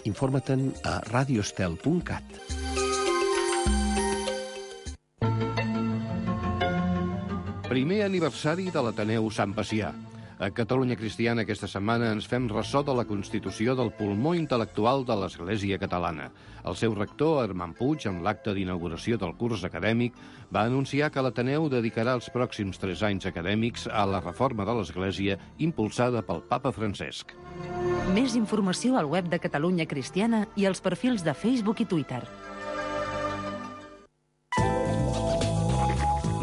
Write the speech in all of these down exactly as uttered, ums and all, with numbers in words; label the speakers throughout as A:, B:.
A: Informa-te'n a radiostel punt cat. Primer aniversari de l'Ateneu Sant Pacià. A Catalunya Cristiana aquesta setmana ens fem ressò de la constitució del pulmó intel·lectual de l'Església catalana. El seu rector, Armand Puig, en l'acte d'inauguració del curs acadèmic, va anunciar que l'Ateneu dedicarà els pròxims tres anys acadèmics a la reforma de l'Església impulsada pel papa Francesc.
B: Més informació al web de Catalunya Cristiana i als perfils de Facebook i Twitter.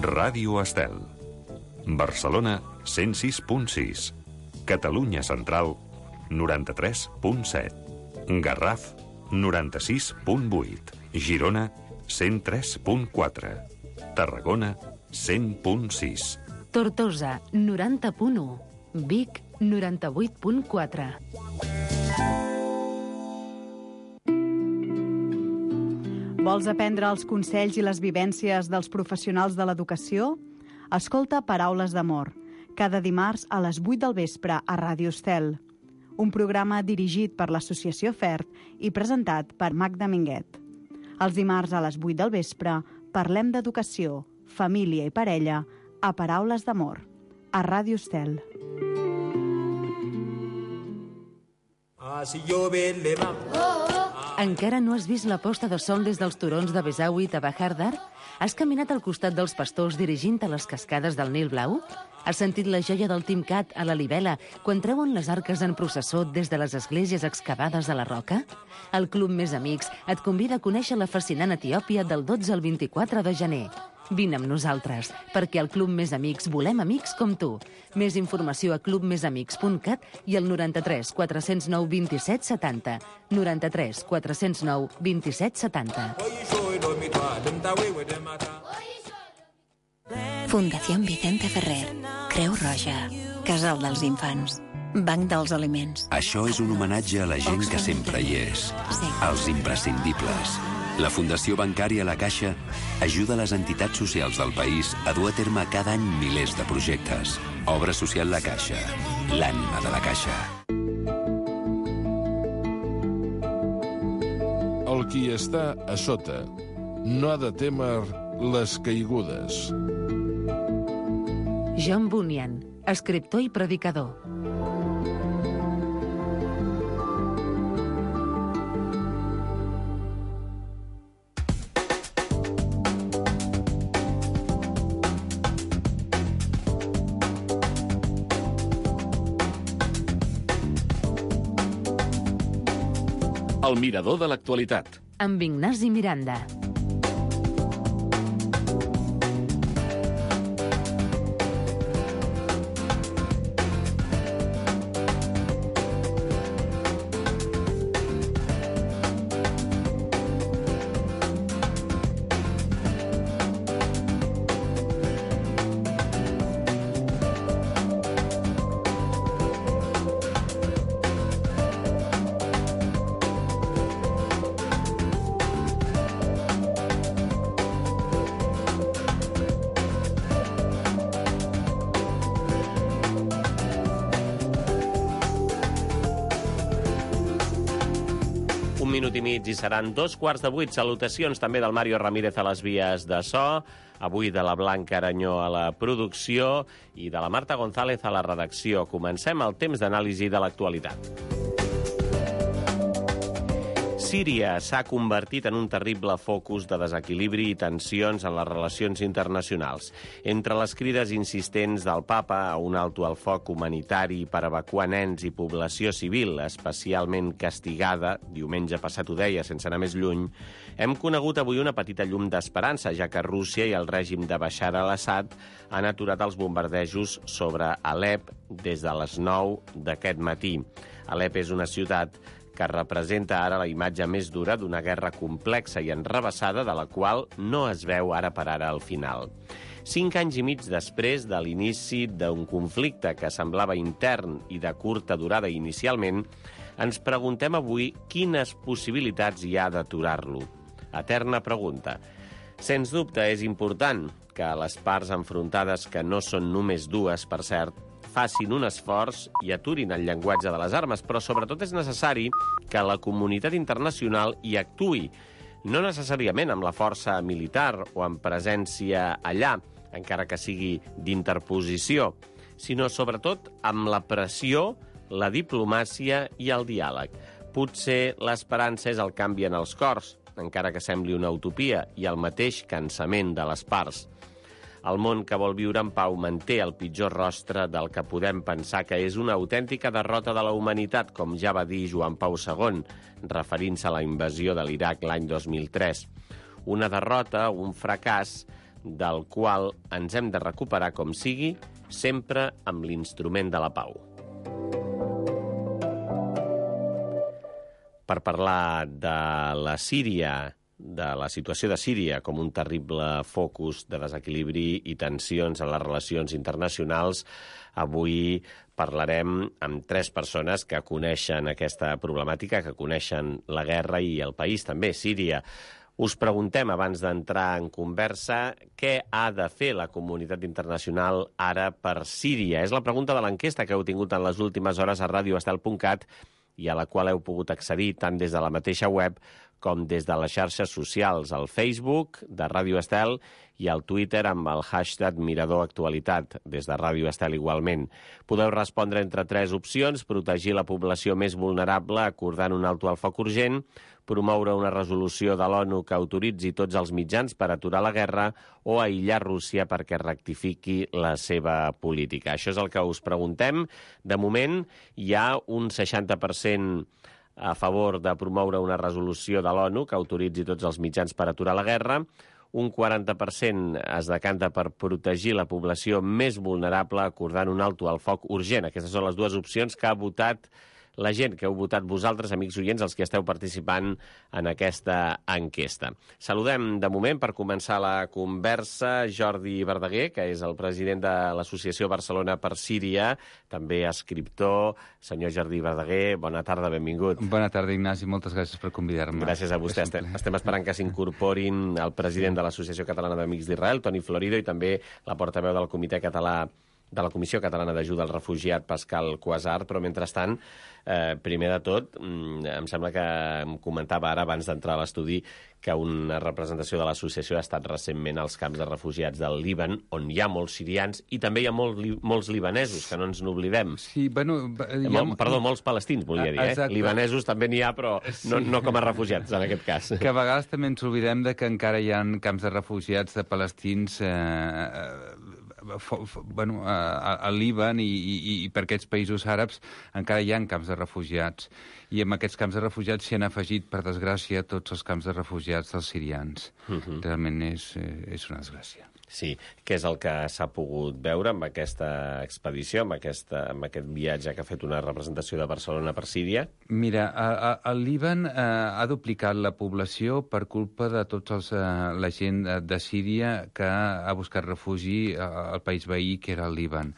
C: Ràdio Estel. Barcelona, cent sis punt sis. Catalunya Central, noranta-tres punt set. Garraf, noranta-sis punt vuit. Girona, cent tres punt quatre. Tarragona, cent punt sis.
B: Tortosa, noranta punt u. Vic, noranta-vuit punt quatre.
D: Vols aprendre els consells i les vivències dels professionals de l'educació? Escolta Paraules d'Amor, cada dimarts a les vuit del vespre a Ràdio Estel. Un programa dirigit per l'Associació FERT i presentat per Magda Minguet. Els dimarts a les vuit del vespre parlem d'educació, família i parella a Paraules d'Amor, a Ràdio Estel.
B: Encara no has vist la posta de sol des dels turons de Besaüit a Bahar Dar? Has caminat al costat dels pastors dirigint a les cascades del Nil Blau? Has sentit la joia del Timcat a la Libela quan treuen les arques en processó des de les esglésies excavades a la roca? El Club Més Amics et convida a conèixer la fascinant Etiòpia del dotze al vint-i-quatre de gener. Vine amb nosaltres, perquè al Club Més Amics volem amics com tu. Més informació a club més amics punt cat i al noranta-tres quatre zero nou vint-i-set setanta. noranta-tres quatre zero nou vint-i-set setanta.
E: Fundació Vicente Ferrer, Creu Roja, Casal dels Infants, Banc dels Aliments.
F: Això és un homenatge a la gent que sempre hi és, als imprescindibles. La Fundació Bancària La Caixa ajuda les entitats socials del país a dur a terme cada any milers de projectes. Obra social La Caixa, l'ànima de la Caixa.
G: El qui està a sota no ha de témer les caigudes.
B: John Bunyan, escriptor i predicador.
H: El mirador de l'actualitat.
B: Amb Ignasi Miranda.
I: Un minut i mig i seran dos quarts de vuit. Salutacions també del Mario Ramírez a les vies de so, avui de la Blanca Aranyó a la producció i de la Marta González a la redacció. Comencem el temps d'anàlisi de l'actualitat. Síria s'ha convertit en un terrible focus de desequilibri i tensions en les relacions internacionals. Entre les crides insistents del papa a un alto al foc humanitari per evacuar nens i població civil, especialment castigada, diumenge passat ho deia sense anar més lluny, hem conegut avui una petita llum d'esperança, ja que Rússia i el règim de Bashar al-Assad han aturat els bombardejos sobre Alep des de les nou d'aquest matí. Alep és una ciutat que representa ara la imatge més dura d'una guerra complexa i enrevessada de la qual no es veu ara per ara al final. Cinc anys i mig després de l'inici d'un conflicte que semblava intern i de curta durada inicialment, ens preguntem avui quines possibilitats hi ha d'aturar-lo. Eterna pregunta. Sens dubte és important que les parts enfrontades, que no són només dues, per cert, facin un esforç i aturin el llenguatge de les armes, però sobretot és necessari que la comunitat internacional hi actuï, no necessàriament amb la força militar o amb presència allà, encara que sigui d'interposició, sinó sobretot amb la pressió, la diplomàcia i el diàleg. Potser l'esperança és el canvi en els cors, encara que sembli una utopia, i el mateix cansament de les parts. El món que vol viure en pau manté el pitjor rostre del que podem pensar que és una autèntica derrota de la humanitat, com ja va dir Joan Pau segon, referint-se a la invasió de l'Iraq l'any dos mil tres. Una derrota, un fracàs, del qual ens hem de recuperar com sigui, sempre amb l'instrument de la pau. Per parlar de la Síria, de la situació de Síria com un terrible focus de desequilibri i tensions en les relacions internacionals, avui parlarem amb tres persones que coneixen aquesta problemàtica, que coneixen la guerra i el país també, Síria. Us preguntem, abans d'entrar en conversa, què ha de fer la comunitat internacional ara per Síria? És la pregunta de l'enquesta que heu tingut en les últimes hores a radio estel punt cat i a la qual heu pogut accedir tant des de la mateixa web com des de les xarxes socials, al Facebook de Ràdio Estel i al Twitter amb el hashtag Mirador Actualitat, des de Ràdio Estel igualment. Podeu respondre entre tres opcions: protegir la població més vulnerable acordant un alto al foc urgent, promoure una resolució de l'ONU que autoritzi tots els mitjans per aturar la guerra o aïllar Rússia perquè rectifiqui la seva política. Això és el que us preguntem. De moment, hi ha un seixanta per cent a favor de promoure una resolució de l'ONU que autoritzi tots els mitjans per aturar la guerra, un quaranta per cent es decanta per protegir la població més vulnerable acordant un alto al foc urgent. Aquestes són les dues opcions que ha votat la gent, que heu votat vosaltres, amics oients, els que esteu participant en aquesta enquesta. Saludem, de moment, per començar la conversa, Jordi Verdaguer, que és el president de l'Associació Barcelona per Síria, també escriptor. Senyor Jordi Verdaguer, bona tarda, benvingut.
J: Bona tarda, Ignasi, moltes gràcies per convidar-me.
I: Gràcies a vostè. Estem, estem esperant que s'incorporin el president de l'Associació Catalana d'Amics d'Israel, Toni Florido, i també la portaveu del Comitè Català de la Comissió Catalana d'Ajuda al Refugiat, Pascal Quasar, però mentrestant, eh, primer de tot, em sembla que em comentava ara, abans d'entrar a l'estudi, que una representació de l'associació ha estat recentment als camps de refugiats del Líban, on hi ha molts sirians i també hi ha molt, molts libanesos, que no ens n'oblidem.
J: Sí, bueno...
I: Hi ha... Perdó, molts palestins, volia dir, eh? Libanesos també n'hi ha, però no, no com a refugiats, en aquest cas.
J: Que a vegades també ens oblidem de que encara hi ha camps de refugiats de palestins... Eh, bueno, al Líban i, i, i per aquests països àrabs encara hi ha camps de refugiats. I amb aquests camps de refugiats s'hi han afegit, per desgràcia, tots els camps de refugiats dels sirians. Uh-huh. Realment és, és una desgràcia.
I: Sí, què és el que s'ha pogut veure amb aquesta expedició, amb, aquesta, amb aquest viatge que ha fet una representació de Barcelona per Síria?
J: Mira, a, a, el Líban eh, ha duplicat la població per culpa de tots els, eh, la gent de Síria que ha buscat refugi al país veí, que era el Líban.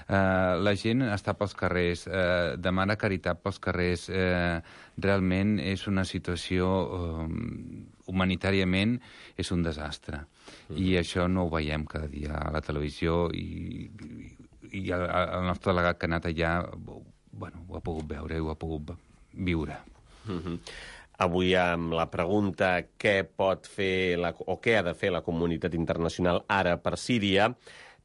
J: Uh, la gent està pels carrers, uh, demana caritat pels carrers. Uh, realment és una situació, uh, humanitàriament, és un desastre. Mm. I això no ho veiem cada dia a la televisió i, i, i el, el nostre delegat que ha anat allà, bueno, ho ha pogut veure i ho ha pogut viure.
I: Mm-hmm. Avui amb la pregunta què pot fer la, o què ha de fer la comunitat internacional ara per Síria,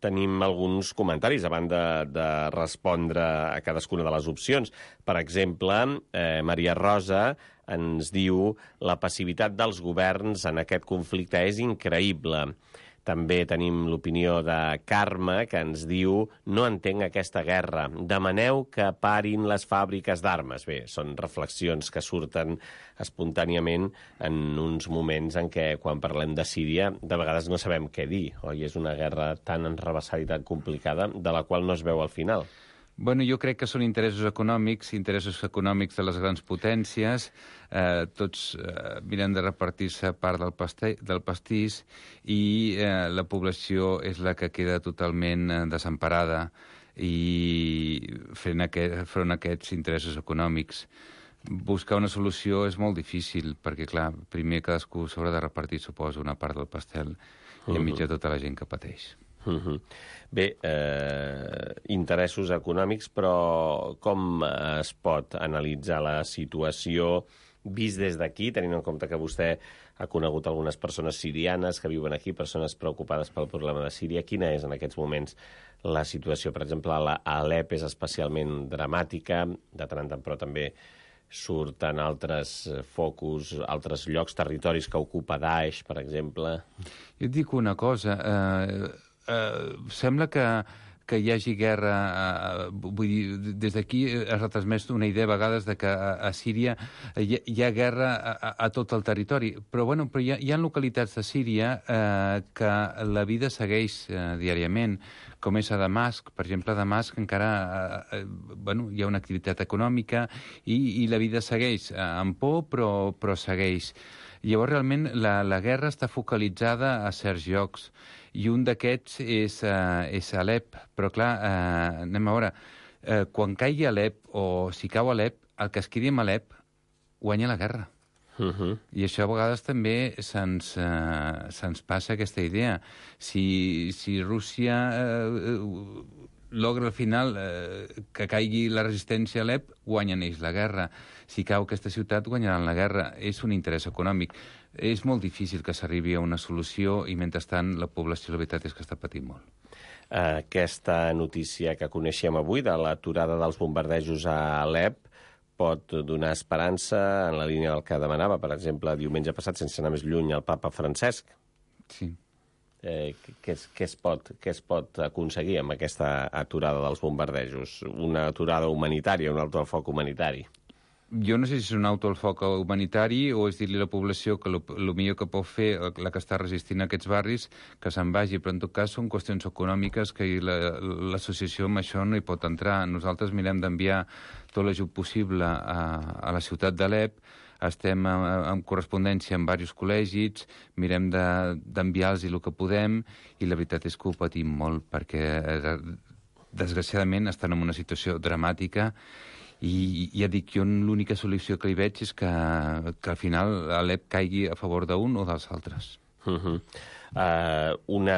I: tenim alguns comentaris abans de, de respondre a cadascuna de les opcions. Per exemple, eh, Maria Rosa ens diu la passivitat dels governs en aquest conflicte és increïble. També tenim l'opinió de Carme, que ens diu no entenc aquesta guerra. Demaneu que parin les fàbriques d'armes. Bé, són reflexions que surten espontàniament en uns moments en què, quan parlem de Síria, de vegades no sabem què dir. Oi? És una guerra tan enrevessada i tan complicada, de la qual no es veu al final.
J: Bueno, jo crec que són interessos econòmics, interessos econòmics de les grans potències. Eh, tots eh, miren de repartir-se part del, pastell, del pastís i eh, la població és la que queda totalment eh, desemparada i fent aquest, front a aquests interessos econòmics. Buscar una solució és molt difícil perquè, clar, primer cadascú s'haurà de repartir, suposo, una part del pastel i enmig de tota la gent que pateix.
I: Uh-huh. Bé, eh, interessos econòmics, però com es pot analitzar la situació vist des d'aquí, tenint en compte que vostè ha conegut algunes persones sirianes que viuen aquí, persones preocupades pel problema de Síria? Quina és en aquests moments la situació? Per exemple, a Alep és especialment dramàtica, de tant en tant, però també surten altres focus, altres llocs, territoris que ocupa Daesh, per exemple.
J: Jo et dic una cosa, eh, eh, sembla que que hi hagi guerra, eh, vull dir, des d'aquí es retransmet una idea a vegades de que a, a Síria hi, hi ha guerra a, a tot el territori, però, bueno, però hi, ha, hi ha localitats de Síria eh, que la vida segueix eh, diàriament, com és a Damasc. Per exemple, a Damasc encara eh, bueno, hi ha una activitat econòmica i, i la vida segueix eh, amb por, però, però segueix. Llavors, realment, la, la guerra està focalitzada a certs llocs, i un d'aquests és, uh, és Alep. Però, clar, uh, anem a veure, uh, quan caigui Alep, o si cau Alep, el que es quedi amb Alep guanya la guerra.
I: Uh-huh.
J: I això a vegades també se'ns uh, se'ns passa aquesta idea. Si, si Rússia uh, logra al final uh, que caigui la resistència a Alep, guanyen ells la guerra. Si cau aquesta ciutat, guanyaran la guerra. És un interès econòmic. És molt difícil que s'arribi a una solució i, mentrestant, la població, la veritat, és que està patint molt.
I: Aquesta notícia que coneixem avui de l'aturada dels bombardejos a Alep pot donar esperança en la línia del que demanava, per exemple, diumenge passat, sense anar més lluny, el papa Francesc.
J: Sí.
I: Eh, què, es, què, es pot, què es pot aconseguir amb aquesta aturada dels bombardejos? Una aturada humanitària, un alto al foc humanitari?
J: Jo no sé si és un auto al foc humanitari o és dir-li a la població que el millor que pot fer, la que està resistint a aquests barris, que se'n vagi. Però en tot cas són qüestions econòmiques que l'associació amb això no hi pot entrar. Nosaltres mirem d'enviar tot l'ajut possible a, a la ciutat d'Alep, estem en correspondència amb diversos col·legis, mirem d'enviar-los el que podem, i la veritat és que ho patim molt, perquè desgraciadament estan en una situació dramàtica. I ja dic, jo l'única solució que hi veig és que, que al final Alep caigui a favor d'un o dels altres.
I: Uh-huh. uh, una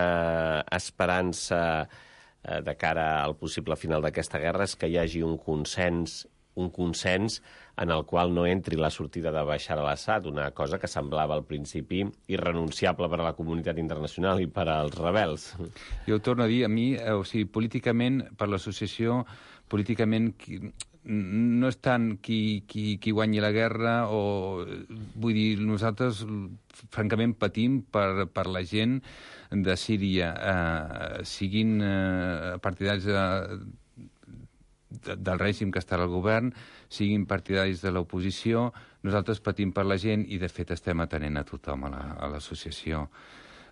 I: esperança uh, de cara al possible final d'aquesta guerra és que hi hagi un consens, un consens en el qual no entri la sortida de Bashar al-Assad, una cosa que semblava al principi irrenunciable per a la comunitat internacional i per als rebels.
J: Jo ho torno a dir, a mi, o sigui, políticament, per l'associació, políticament no és tant qui, qui, qui guanyi la guerra, o vull dir, nosaltres francament patim per, per la gent de Síria, eh, siguin eh, partidaris de, de, del règim que està al govern, siguin partidaris de l'oposició. Nosaltres patim per la gent i, de fet, estem atenent a tothom a l'associació.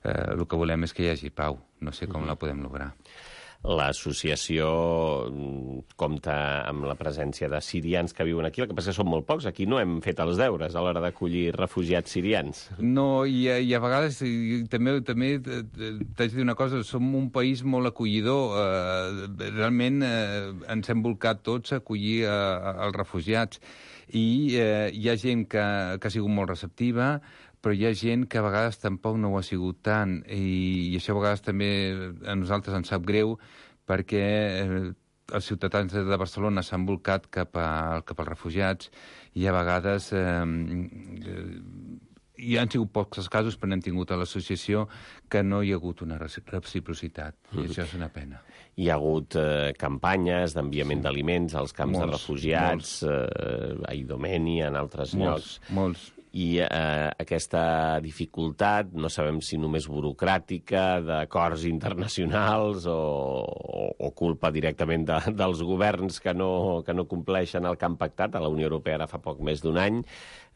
J: Eh, el que volem és que hi hagi pau. No sé com la podem lograr.
I: L'associació compta amb la presència de sirians que viuen aquí, el que passa que són molt pocs. Aquí no hem fet els deures a l'hora d'acollir refugiats sirians.
J: No, i, i a vegades i també, també t'haig de dir una cosa, som un país molt acollidor. Eh, realment eh, ens hem volcat tots a acollir eh, els refugiats. I eh, hi ha gent que, que ha sigut molt receptiva, però hi ha gent que a vegades tampoc no ho ha sigut tant, i, i això a vegades també a nosaltres ens sap greu, perquè eh, els ciutadans de Barcelona s'han volcat cap, a, cap als refugiats, i a vegades eh, eh, hi han sigut pocs els casos, però n'hem tingut a l'associació que no hi ha hagut una reciprocitat, i això és una pena.
I: Hi ha hagut eh, campanyes d'enviament sí. d'aliments als camps molts, de refugiats, eh, a Idomeni, en altres
J: molts,
I: llocs.
J: Molts,
I: I eh, aquesta dificultat, no sabem si només burocràtica, d'acords internacionals o, o, o culpa directament de, dels governs que no, que no compleixen el que han pactat a la Unió Europea ara fa poc més d'un any,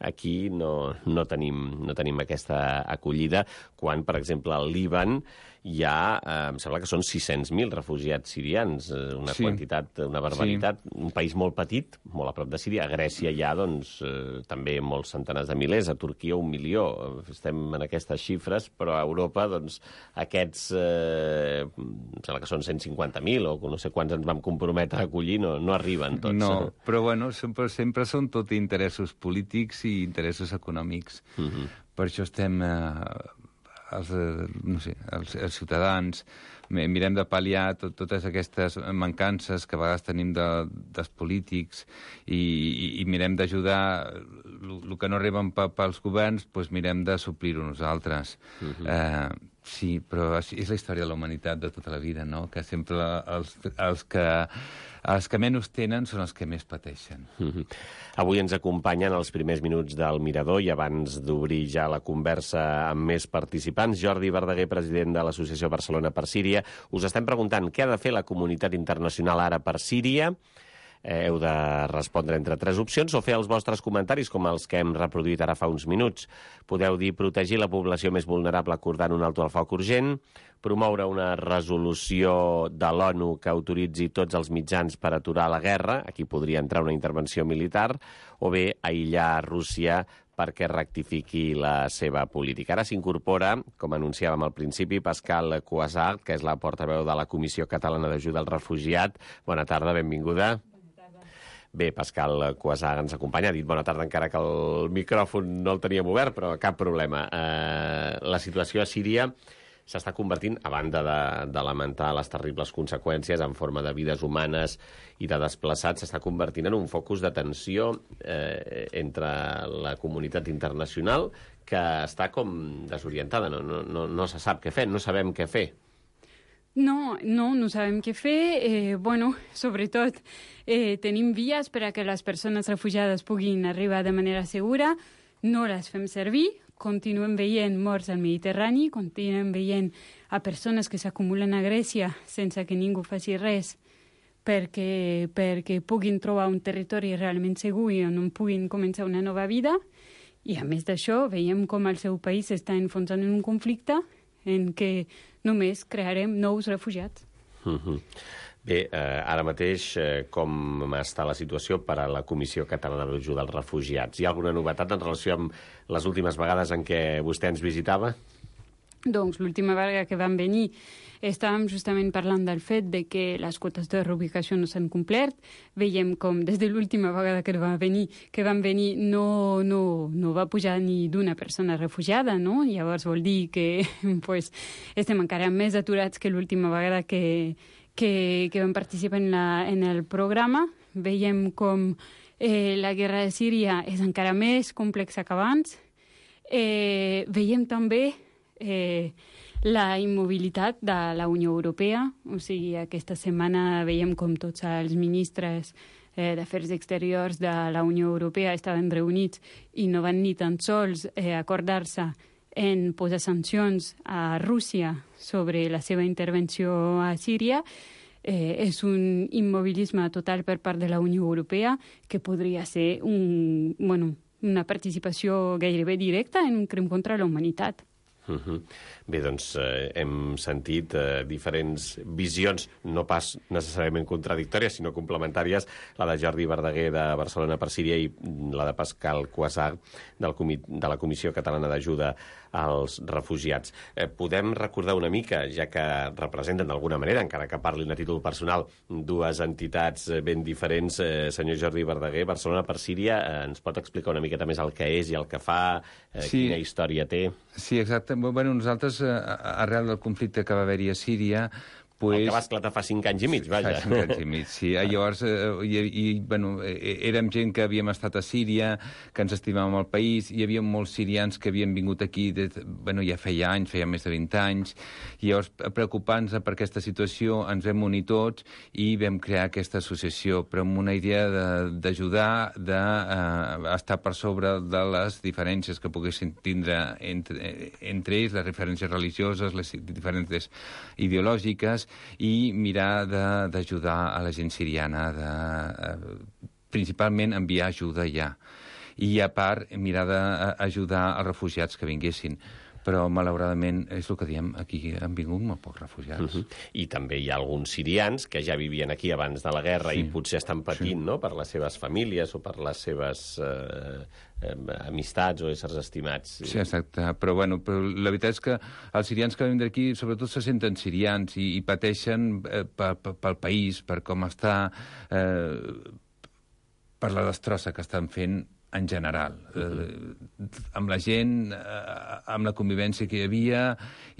I: aquí no, no, tenim, no tenim aquesta acollida, quan, per exemple, al Líban hi ha, eh, em sembla que són sis-cents mil refugiats sirians, una sí. quantitat, una barbaritat, sí. un país molt petit, molt a prop de Síria. A Grècia hi ha, doncs, eh, també molts centenars de milers, a Turquia un milió. Estem en aquestes xifres, però a Europa, doncs, aquests, eh, em sembla que són cent cinquanta mil, o no sé quants ens vam comprometre a acollir, no, no arriben tots.
J: No, però, bueno, sempre, sempre són tot interessos polítics i interessos econòmics. Uh-huh. Per això estem... Eh, els, no sé, els, els ciutadans, mirem de pal·liar tot, totes aquestes mancances que a vegades tenim de, dels polítics i, i, i mirem d'ajudar el que no arriben pels governs, doncs mirem de suplir-ho nosaltres. Uh-huh. eh, sí, però és la història de la humanitat de tota la vida, no? Que sempre els, els que els que menys tenen són els que més pateixen.
I: Mm-hmm. Avui ens acompanyen els primers minuts del Mirador i abans d'obrir ja la conversa amb més participants, Jordi Verdaguer, president de l'Associació Barcelona per Síria. Us estem preguntant què ha de fer la comunitat internacional ara per Síria. Eh, heu de respondre entre tres opcions o fer els vostres comentaris com els que hem reproduït ara fa uns minuts. Podeu dir protegir la població més vulnerable acordant un alto al foc urgent, promoure una resolució de l'ONU que autoritzi tots els mitjans per aturar la guerra, aquí podria entrar una intervenció militar, o bé aïllar Rússia perquè rectifiqui la seva política. Ara s'incorpora, com anunciàvem al principi, Pascal Cuasart, que és la portaveu de la Comissió Catalana d'Ajuda al Refugiat. Bona tarda, benvinguda. Bé, Pascal Cuasart ens acompanya. Ha dit bona tarda encara que el micròfon no el teníem obert, però cap problema. Eh, la situació a Síria s'està convertint, a banda de, de lamentar les terribles conseqüències en forma de vides humanes i de desplaçats, s'està convertint en un focus de tensió eh, entre la comunitat internacional que està com desorientada, no, no, no, no se sap què fer, no sabem què fer.
K: No, no, no sabem què fer. Eh, bueno, sobretot eh, tenim vies per a que les persones refugiades puguin arribar de manera segura, no les fem servir, continuem veient morts al Mediterrani, continuem veient a persones que s'acumulen a Grècia sense que ningú faci res perquè, perquè puguin trobar un territori realment segur i on puguin començar una nova vida. I a més d'això, veiem com el seu país està enfonsant en un conflicte en què només crearem nous refugiats.
I: Mm-hmm. Bé, eh, ara mateix, eh, com està la situació per a la Comissió Catalana d'Ajuda als Refugiats? Hi ha alguna novetat en relació amb les últimes vegades en què vostè ens visitava?
K: Doncs l'última vegada que vam venir estàvem justament parlant del fet de que les quotes de reubicació no s'han complert. Veiem com des de l'última vegada que va venir, que van venir no, no, no va pujar ni d'una persona refugiada, no? Llavors vol dir que pues, estem encara més aturats que l'última vegada que, que, que vam participar en, la, en el programa. Veiem com eh, la guerra de Síria és encara més complexa que abans. Eh, veiem també Eh, la immobilitat de la Unió Europea, o sigui, aquesta setmana veiem com tots els ministres eh, d'Afers Exteriors de la Unió Europea estaven reunits i no van ni tan sols eh, acordar-se en posar sancions a Rússia sobre la seva intervenció a Síria. Eh, és un immobilisme total per part de la Unió Europea que podria ser un, bueno, una participació gairebé directa en un crim contra la humanitat.
I: Uh-huh. Bé, doncs eh, hem sentit eh, diferents visions, no pas necessàriament contradictòries, sinó complementàries, la de Jordi Verdaguer de Barcelona per Síria i la de Pascal Cuasart del comi- de la Comissió Catalana d'Ajuda als Refugiats. Eh, podem recordar una mica, ja que representen d'alguna manera, encara que parlin a títol personal, dues entitats ben diferents, eh, senyor Jordi Verdaguer, Barcelona per Síria, eh, ens pot explicar una miqueta més el que és i el que fa, eh, sí. Quina història té?
J: Sí, exacte. Bueno, nosaltres, arrel del conflicte que va haver-hi a Síria, pues...
I: El que va esclatar fa cinc anys i mig, vaja.
J: Fa cinc anys i mig, sí. Llavors, eh, i, i, bueno, érem gent que havíem estat a Síria, que ens estimàvem el país, hi havia molts sirians que havien vingut aquí, de, bueno, ja feia anys, feia més de vint anys, i llavors, preocupant-nos per aquesta situació, ens vam unir tots i vam crear aquesta associació, però amb una idea d'ajudar, d'estar de, eh, per sobre de les diferències que poguessin tindre entre, entre ells, les referències religioses, les diferències ideològiques, i mirar d'ajudar a la gent siriana, de, eh, principalment enviar ajuda ja. I a part, mirar d'ajudar als refugiats que vinguessin. Però, malauradament, és el que diem, aquí han vingut molt pocs refugiats.
I: Uh-huh. I també hi ha alguns sirians que ja vivien aquí abans de la guerra sí. i potser estan patint, sí. no?, per les seves famílies o per les seves eh, eh, amistats o éssers estimats.
J: Sí, exacte. Però, bueno, però la veritat és que els sirians que venen d'aquí sobretot se senten sirians i, i pateixen eh, pel país, per com està, eh, per la destrossa que estan fent en general, eh, amb la gent, eh, amb la convivència que hi havia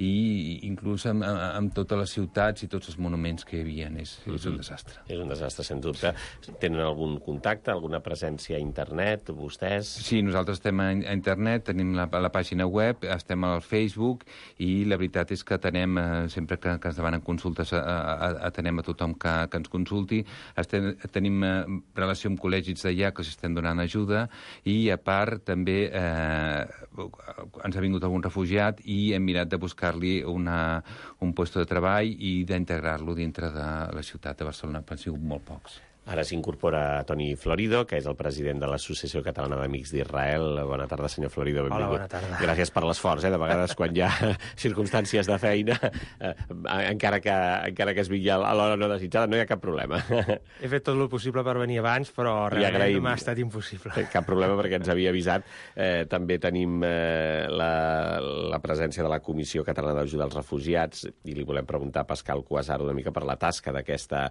J: i inclús amb, amb totes les ciutats i tots els monuments que hi havia. És, és un desastre.
I: És un desastre, sens dubte. Tenen algun contacte, alguna presència a internet, vostès?
J: Sí, nosaltres estem a internet, tenim la, la pàgina web, estem al Facebook i la veritat és que atenem, eh, sempre que, que es demanen consultes, a, a, atenem a tothom que, que ens consulti. Estem, tenim eh, relació amb col·legis d'allà que els estem donant ajuda i, a part, també eh, ens ha vingut algun refugiat i hem mirat de buscar-li una, un lloc de treball i d'integrar-lo dintre de la ciutat de Barcelona, però han sigut molt pocs.
I: Ara s'incorpora Toni Florido, que és el president de l'Associació Catalana d'Amics d'Israel. Bona tarda, senyor Florido. Benvingut.
L: Hola, bona tarda.
I: Gràcies per l'esforç, eh? De vegades, quan hi ha circumstàncies de feina, eh, encara, que, encara que es vingui a l'hora no desitjada, no hi ha cap problema.
L: He fet tot el possible per venir abans, però realment m'ha estat impossible.
I: Cap problema, perquè ens havia avisat. Eh, també tenim eh, la, la presència de la Comissió Catalana d'Ajuda als Refugiats i li volem preguntar a Pascal Cuasar una mica per la tasca d'aquesta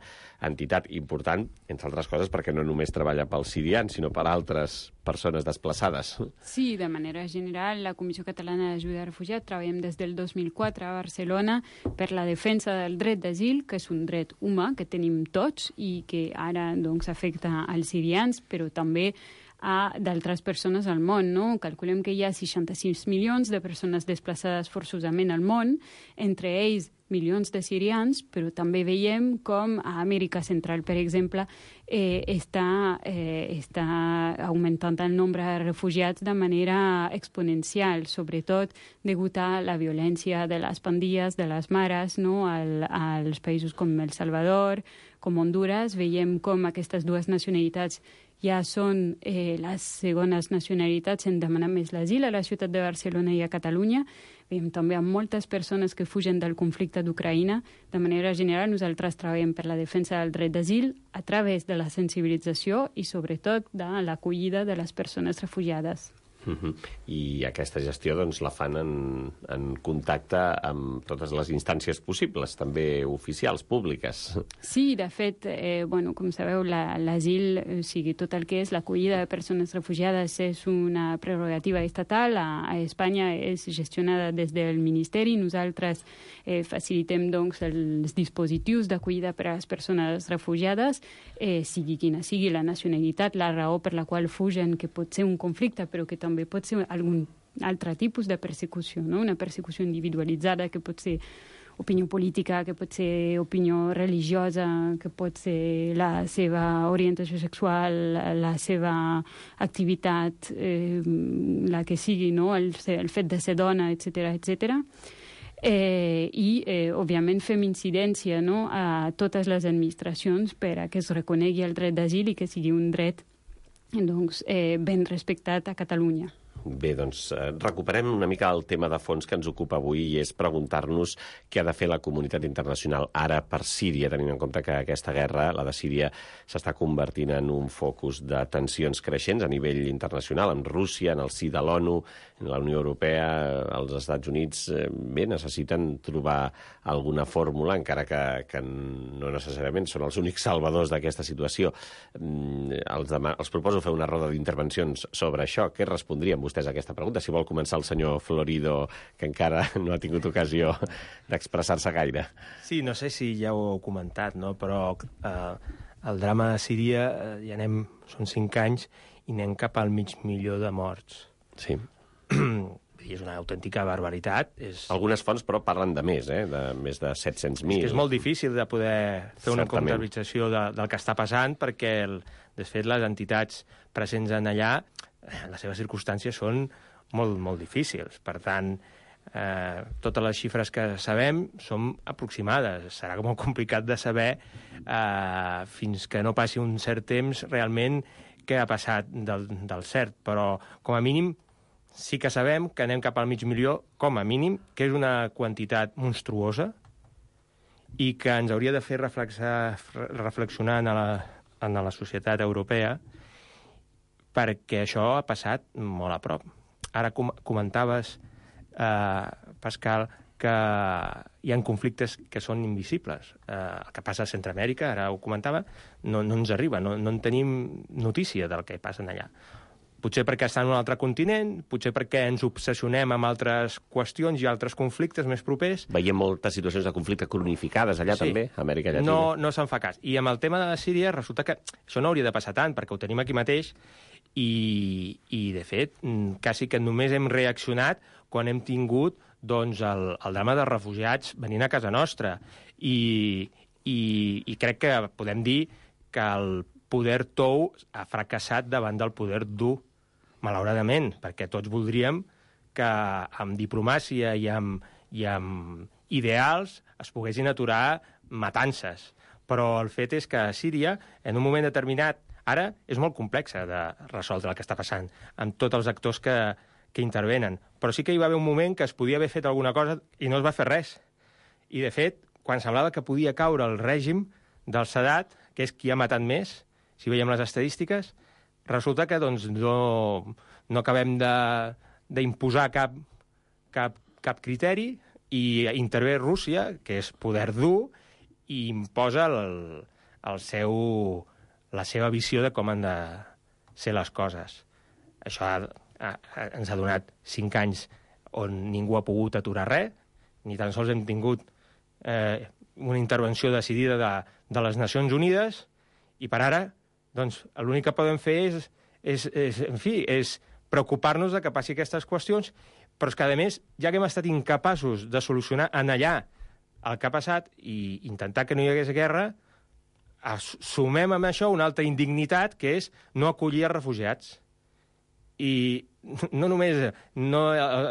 I: entitat important, entre altres coses, perquè no només treballa pels sirians, sinó per altres persones desplaçades.
K: Sí, de manera general, la Comissió Catalana d'Ajuda als Refugiats treballem des del dos mil quatre a Barcelona per la defensa del dret d'asil, que és un dret humà que tenim tots i que ara doncs, afecta als sirians, però també a d'altres persones al món, no? Calculem que hi ha seixanta-sis milions de persones desplaçades forçosament al món, entre ells milions de sirians, però també veiem com a Amèrica Central, per exemple, eh, està, eh, està augmentant el nombre de refugiats de manera exponencial, sobretot degut a la violència de les pandilles, de les mares, no? Al, als països com El Salvador, com Honduras, veiem com aquestes dues nacionalitats ja són eh, les segones nacionalitats en demanar més l'asil a la ciutat de Barcelona i a Catalunya. Veiem també amb moltes persones que fugen del conflicte d'Ucraïna. De manera general, nosaltres treballem per la defensa del dret d'asil a través de la sensibilització i, sobretot, de l'acollida de les persones refugiades.
I: Uh-huh. I aquesta gestió doncs, la fan en, en contacte amb totes les instàncies possibles, també oficials, públiques.
K: Sí, de fet, eh, bueno, com sabeu, l'asil, la, o sigui, tot el que és l'acollida de persones refugiades és una prerrogativa estatal. A, a Espanya és gestionada des del Ministeri. Nosaltres eh, facilitem doncs, els dispositius d'acollida per a les persones refugiades, eh, sigui quina sigui la nacionalitat, la raó per la qual fugen, que pot ser un conflicte, però que també pot ser algun altre tipus de persecució, no? Una persecució individualitzada, que pot ser opinió política, que pot ser opinió religiosa, que pot ser la seva orientació sexual, la seva activitat, eh, la que sigui, no? El, el fet de ser dona, etcètera, etcètera. Eh, I, eh, òbviament, fem incidència, no? A totes les administracions per a que es reconegui el dret d'asil i que sigui un dret doncs, eh, ben respectat a Catalunya.
I: Bé, doncs recuperem una mica el tema de fons que ens ocupa avui i és preguntar-nos què ha de fer la comunitat internacional ara per Síria, tenint en compte que aquesta guerra, la de Síria, s'està convertint en un focus de tensions creixents a nivell internacional, amb Rússia, en el si de l'ONU, en la Unió Europea, els Estats Units, bé, necessiten trobar alguna fórmula, encara que, que no necessàriament són els únics salvadors d'aquesta situació. Els, demà, els proposo fer una roda d'intervencions sobre això. Què respondrien vostès a aquesta pregunta? Si vol començar el senyor Florido, que encara no ha tingut ocasió d'expressar-se gaire.
L: Sí, no sé si ja ho heu comentat, no? Però eh, el drama de Síria, eh, ja anem, són cinc anys, i anem cap al mig milió de morts.
I: Sí.
L: I és una autèntica barbaritat. És...
I: Algunes fonts, però, parlen de més, eh? De més de set-cents mil.
L: És que és molt difícil de poder fer una
I: Certament.
L: comptabilització de, del que està passant, perquè, el, de fet, les entitats presents en allà, les seves circumstàncies són molt, molt difícils. Per tant, eh, totes les xifres que sabem són aproximades. Serà molt complicat de saber eh, fins que no passi un cert temps realment què ha passat del, del cert. Però, com a mínim, sí que sabem que anem cap al mig milió, com a mínim, que és una quantitat monstruosa i que ens hauria de fer reflexionar en la, en la societat europea, perquè això ha passat molt a prop. Ara com comentaves, eh, Pascal, que hi ha conflictes que són invisibles. Eh, el que passa a Centroamèrica, ara ho comentava, no, no ens arriba, no, no en tenim notícia del que passa allà. potser perquè està en un altre continent, potser perquè ens obsessionem amb altres qüestions i altres conflictes més propers.
I: Veiem moltes situacions de conflicte cronificades allà sí. també, a Amèrica Llatina.
L: No, no se'n fa cas. I amb el tema de Síria resulta que això no hauria de passar tant, perquè ho tenim aquí mateix i, i de fet, quasi que només hem reaccionat quan hem tingut doncs, el, el drama de refugiats venint a casa nostra. I, i, i crec que podem dir que el poder tou ha fracassat davant del poder dur, malauradament, perquè tots voldríem que amb diplomàcia i amb, i amb ideals es poguessin aturar matances. Però el fet és que a Síria, en un moment determinat, ara és molt complex de resoldre el que està passant, amb tots els actors que, que intervenen. Però sí que hi va haver un moment que es podia haver fet alguna cosa i no es va fer res. I, de fet, quan semblava que podia caure el règim del Sadat, que és qui ha matat més, si veiem les estadístiques, resulta que doncs, no, no acabem d'imposar cap, cap, cap criteri i intervé Rússia, que és poder dur, i imposa el, el seu, la seva visió de com han de ser les coses. Això ha, ha, ens ha donat cinc anys on ningú ha pogut aturar res, ni tan sols hem tingut eh, una intervenció decidida de, de les Nacions Unides, i per ara doncs l'únic que podem fer és, és, és, en fi, és preocupar-nos de que passi aquestes qüestions, però és que, a més, ja que hem estat incapaços de solucionar en allà el que ha passat i intentar que no hi hagués guerra, sumem amb això una altra indignitat, que és no acollir els refugiats. I no només no,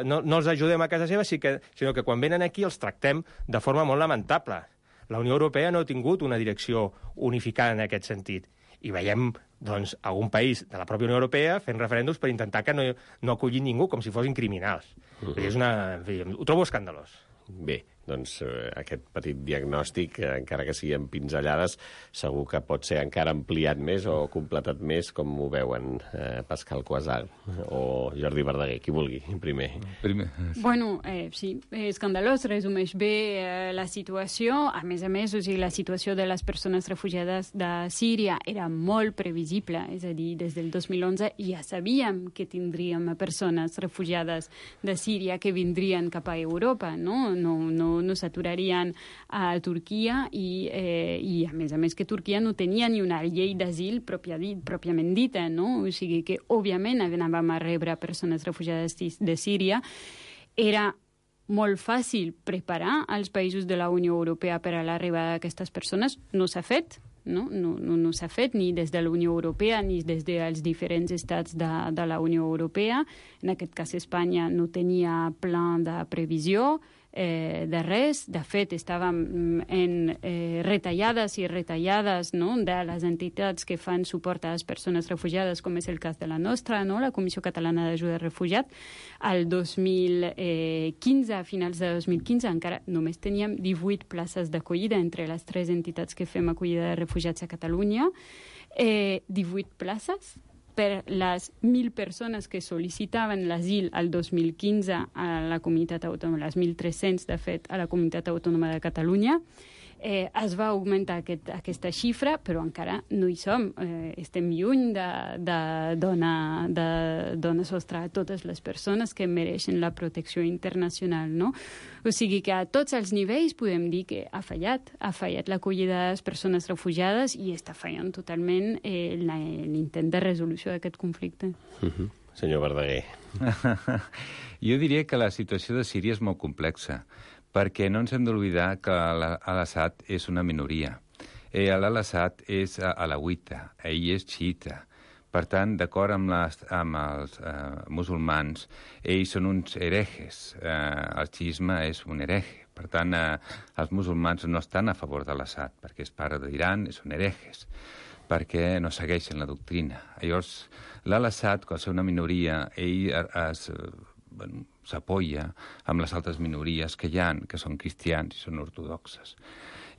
L: no, no els ajudem a casa seva, sinó que quan venen aquí els tractem de forma molt lamentable. La Unió Europea no ha tingut una direcció unificada en aquest sentit. I veiem doncs, algun país de la pròpia Unió Europea fent referèndums per intentar que no, no acullin ningú com si fossin criminals. Uh -huh. És una, en fi, ho trobo escandalós.
I: Bé, doncs eh, aquest petit diagnòstic, eh, encara que sigui en pinzellades, segur que pot ser encara ampliat més o completat més, com ho veuen eh, Pascal Quasal o Jordi Verdaguer, qui vulgui, primer.
J: primer.
K: Bueno, eh, sí, escandalós, resumeix bé eh, la situació. A més a més, o sigui, la situació de les persones refugiades de Síria era molt previsible, és a dir, des del dos mil onze ja sabíem que tindríem persones refugiades de Síria que vindrien cap a Europa, no? No, no, no s'aturarien a Turquia i, eh, i, a més a més, que Turquia no tenia ni una llei d'asil pròpia dit, pròpiament dita, no? O sigui que, òbviament, anàvem a rebre persones refugiades de Síria. Era molt fàcil preparar els països de la Unió Europea per a l'arribada d'aquestes persones. No s'ha fet, no? No, no, no s'ha fet ni des de la Unió Europea ni des dels diferents estats de, de la Unió Europea. En aquest cas, Espanya no tenia pla de previsió, Eh, de res. De fet, estàvem en eh, retallades i retallades, no?, de les entitats que fan suport a les persones refugiades, com és el cas de la nostra, no?, la Comissió Catalana d'Ajuda al Refugiat. Al dos mil quinze, a finals de dos mil quinze, encara només teníem divuit places d'acollida entre les tres entitats que fem acollida de refugiats a Catalunya. Eh, divuit places per les mil persones que sol·licitaven l'asil al dos mil quinze a la comunitat autònoma, les mil tres-cents, de fet, a la comunitat autònoma de Catalunya. Eh, es va augmentar aquest, aquesta xifra, però encara no hi som. Eh, estem lluny de, de, donar, de donar sostre a totes les persones que mereixen la protecció internacional, no? O sigui que a tots els nivells podem dir que ha fallat. Ha fallat l'acollida de les persones refugiades i està fallant totalment eh, l'intent de resolució d'aquest conflicte.
I: Uh-huh. Senyor Verdaguer.
J: Jo diria que la situació de Síria és molt complexa, perquè no ens hem d'oblidar que Al-Assad és una minoria. Eh, Al-Assad és alauita, ell és xiita. Per tant, d'acord amb, les, amb els eh, musulmans, ells són uns herejes. Eh, el xiisme és un hereje. Per tant, eh, els musulmans no estan a favor de l'Assad, perquè és pare d'Iran, són herejes, perquè no segueixen la doctrina. Llavors, l'Al-Assad, quan és una minoria, ell es... Bueno, s'apoya amb les altres minories que hi ha, que són cristians i són ortodoxes.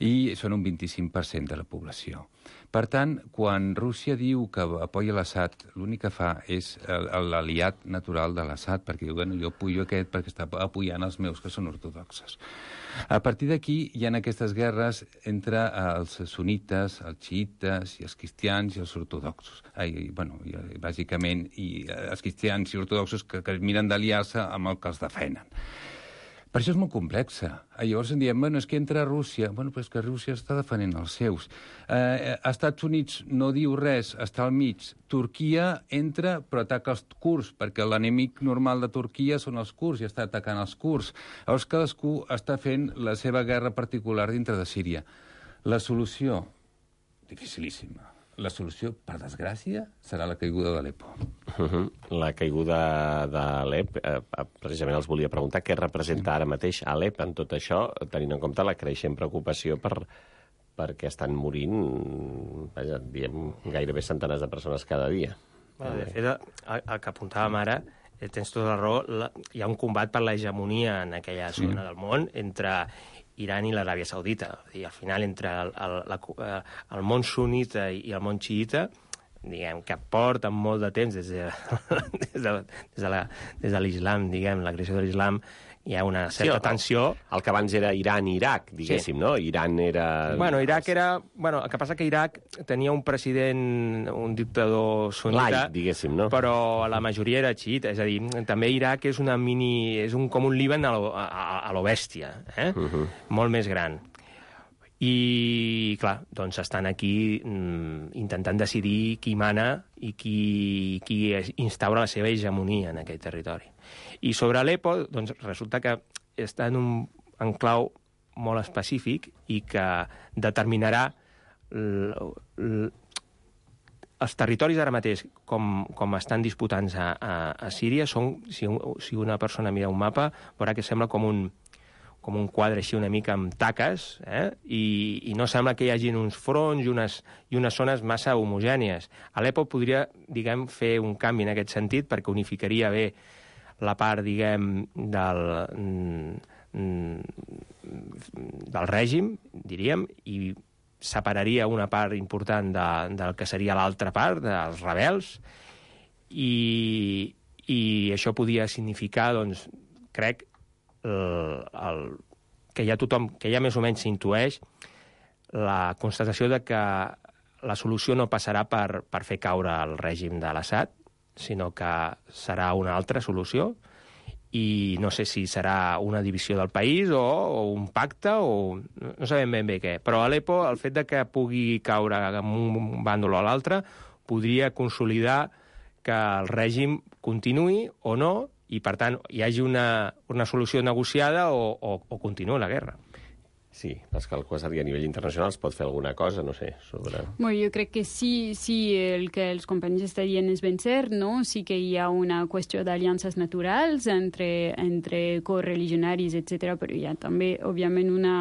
J: i són un vint-i-cinc per cent de la població. Per tant, quan Rússia diu que apoya l'Assad, l'únic que fa és l'aliat natural de l'Assad, perquè diu, bueno, jo apoyo aquest perquè està apoyant els meus que són ortodoxes. A partir d'aquí hi ha aquestes guerres entre els sunites, els xiites, i els cristians i els ortodoxos. Ai, bueno, i, bàsicament, i els cristians i ortodoxos que, que miren d'aliar-se amb el que els defenen. Per això és molt complexa. Llavors en diem, bueno, és que entra Rússia. Bueno, però és que Rússia està defendent els seus. Eh, Estats Units no diu res, està al mig. Turquia entra, però ataca els kurds, perquè l'enemic normal de Turquia són els kurds i està atacant els kurds. Llavors cadascú està fent la seva guerra particular dintre de Síria. La solució, dificilíssima. La solució, per desgràcia, serà la caiguda d'Alepo.
I: Uh-huh. La caiguda d'Alep, eh, precisament els volia preguntar què representa ara mateix Alep en tot això, tenint en compte la creixent preocupació per, perquè estan morint, vaja, diem, gairebé centenars de persones cada dia.
L: Bueno, de fet, el, el que apuntàvem ara, tens tota la raó, la, hi ha un combat per l'hegemonia en aquella sí. zona del món entre Iran i l'Aràbia Saudita. I al final, entre el, el, la, el món sunita i el món xiita, diguem, que porten molt de temps des de, des de, des de, la, des de l'islam, diguem, la creació de l'islam, hi ha una certa sí, el, tensió.
I: El que abans era Iran i Iraq, diguéssim, sí. no? Iran era...
L: Bueno, Iraq era... Bueno, el que passa que Iraq tenia un president, un dictador sunita...
I: Laic, diguéssim, no?
L: Però la majoria era xiita. És a dir, també Iraq és una mini... És un, com un Líban a lo, a, a lo bèstia, eh? Uh-huh. Molt més gran. I, clar, doncs estan aquí mm, intentant decidir qui mana i qui, qui instaura la seva hegemonia en aquell territori. I sobre Alepo, doncs resulta que està en un enclau molt específic i que determinarà l, l, els territoris ara mateix, com, com estan disputant a, a, a Síria, són, si, un, si una persona mira un mapa, veurà que sembla com un com un quadre així una mica amb taques, eh? I, i no sembla que hi hagin uns fronts i unes, i unes zones massa homogènies. Alepo podria, diguem, fer un canvi en aquest sentit perquè unificaria bé la part, diguem, del, del règim, diríem, i separaria una part important de, del que seria l'altra part, dels rebels, i, i això podia significar, doncs, crec, El, el, que ja tothom, que ja més o menys s'intueix la constatació de que la solució no passarà per, per fer caure el règim de l'Assad, sinó que serà una altra solució, i no sé si serà una divisió del país o, o un pacte, o no sabem ben bé què. Però a Alepo, el fet de que pugui caure en un bàndol o l'altre, podria consolidar que el règim continuï o no, i, per tant, hi hagi una, una solució negociada o, o, o continuï la guerra.
I: Sí, és que el Quasari a nivell internacional es pot fer alguna cosa, no sé, sobre...
K: Bueno, jo crec que sí, sí, el que els companys estan dient és ben cert, no? Sí que hi ha una qüestió d'aliances naturals entre, entre correligionaris, etcètera, però hi ha també, òbviament, una...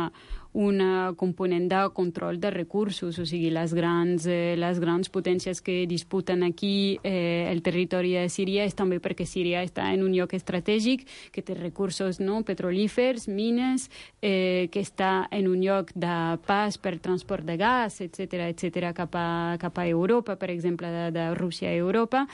K: una component de control de recursos, o sigui, les grans, eh, les grans potències que disputen aquí eh, el territori de Síria és també perquè Síria està en un lloc estratègic, que té recursos no, petrolífers, mines, eh, que està en un lloc de pas per transport de gas, etcètera, etcètera, cap a, cap a Europa, per exemple, de, de Rússia a Europa.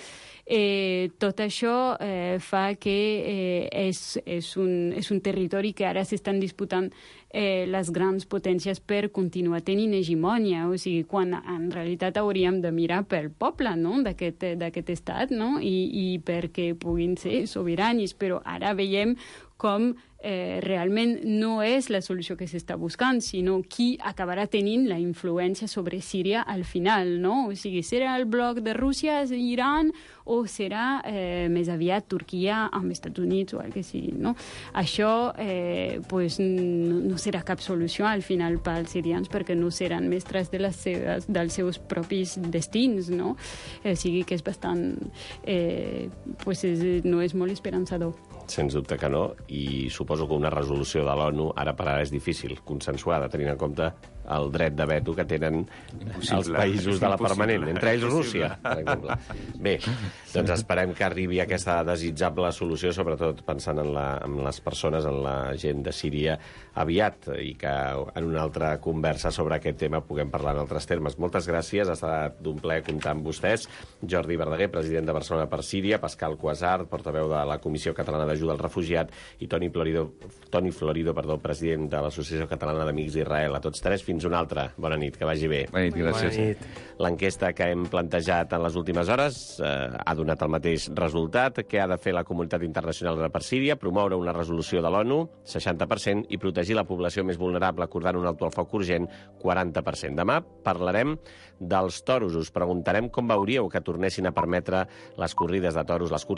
K: Eh, tot això eh, fa que eh, és, és, un, és un territori que ara s'estan disputant eh, les grans potències per continuar tenint hegemònia, o sigui, quan en realitat hauríem de mirar pel poble, no?, d'aquest, d'aquest estat, no?, i, i perquè puguin ser sobiranis, però ara veiem com eh, realment no és la solució que s'està buscant, sinó qui acabarà tenint la influència sobre Síria al final, no? O sigui, serà el bloc de Rússia, Iran, o serà eh, més aviat Turquia amb Estats Units o el que sigui, no? Això eh, pues, no, no serà cap solució al final pels sirians perquè no seran mestres de les seves, dels seus propis destins, no? O sigui que és bastant... Eh, pues és, no és molt esperançador.
I: Sens dubte que no, i suposo suposo que una resolució de l'ONU ara per ara és difícil, consensuada, tenint en compte el dret de veto que tenen Impossible. els països de la permanent, entre ells Rússia, per exemple. Bé, doncs esperem que arribi aquesta desitjable solució, sobretot pensant en, la, en les persones, en la gent de Síria, aviat, i que en una altra conversa sobre aquest tema puguem parlar en altres termes. Moltes gràcies, ha estat d'un plaer comptar amb vostès. Jordi Verdaguer, president de Barcelona per Síria, Pascal Cuasart, portaveu de la Comissió Catalana d'Ajuda al Refugiat, i Toni Florido, Toni Florido perdó, president de l'Associació Catalana d'Amics d'Israel. A tots tres, fins una altra. Bona nit, que vagi bé.
J: Bona nit, gràcies. Bona nit.
I: L'enquesta que hem plantejat en les últimes hores eh, ha donat el mateix resultat. Què ha de fer la comunitat internacional per Síria? Promoure una resolució de l'ONU, seixanta per cent, i protegir la població més vulnerable acordant un alto al foc urgent, quaranta per cent. Demà parlarem dels toros. Us preguntarem com veuríeu que tornessin a permetre les corrides de toros, les curses